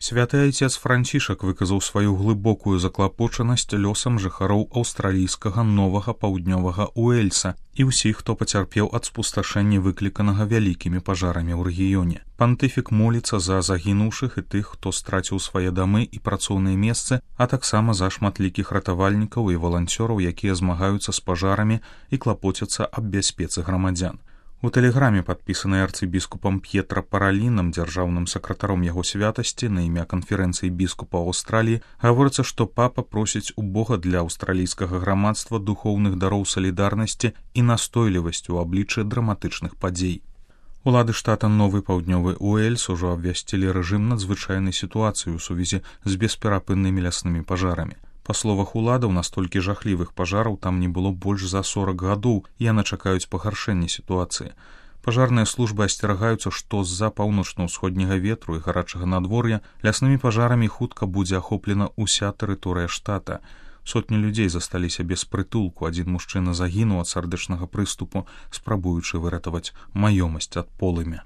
Святы айцец Францішак выказаў сваю глыбокую заклапочанасць лёсам жыхароў аўстралійскага новага паўднёвага Уэльса і ўсіх, хто пацярпеў ад спусташэння, выкліканага вялікімі пажарамі ў рэгіёне. Пантыфік моліцца за загінуўшых і тых, хто страціў свае дамы і працоўныя месцы, а таксама за шматлікіх ратавальнікаў і валанцёраў, якія змагаюцца з пажарамі і клапоцяцца аб бяспецы грамадзян. У тэлеграме, падпісанай арцыбіскупам П'етра Паралінам, дзяржаўным сакратаром яго святасці на імя канферэнцыі біскупаў Аўстраліі, гаворыцца, што папа просіць у Бога для аўстралійскага грамадства духоўных дароў салідарнасці і настойлівасці ў абліччы драматычных падзей. Улады штата Новы паўднёвы Уэльс ужо абвясцілі рэжым надзвычайнай сітуацыі ў сувязі з бесперапыннымі ляснымі пажарамі. Па словах уладаў, настолькі жахлівых пажараў там не было больш за 40 гадоў, і яны чакаюць пагаршэння сітуацыі. Пажарныя службы асцерагаюцца, што з-за паўночна-ўсходняга ветру і гарачага надвор'я ляснымі пажарамі хутка будзе ахоплена ўся тэрыторыя штата. Сотні людзей засталіся без прытулку, адзін мужчына загінуў ад сардэчнага прыступу, спрабуючы выратаваць маёмасць ад полымя.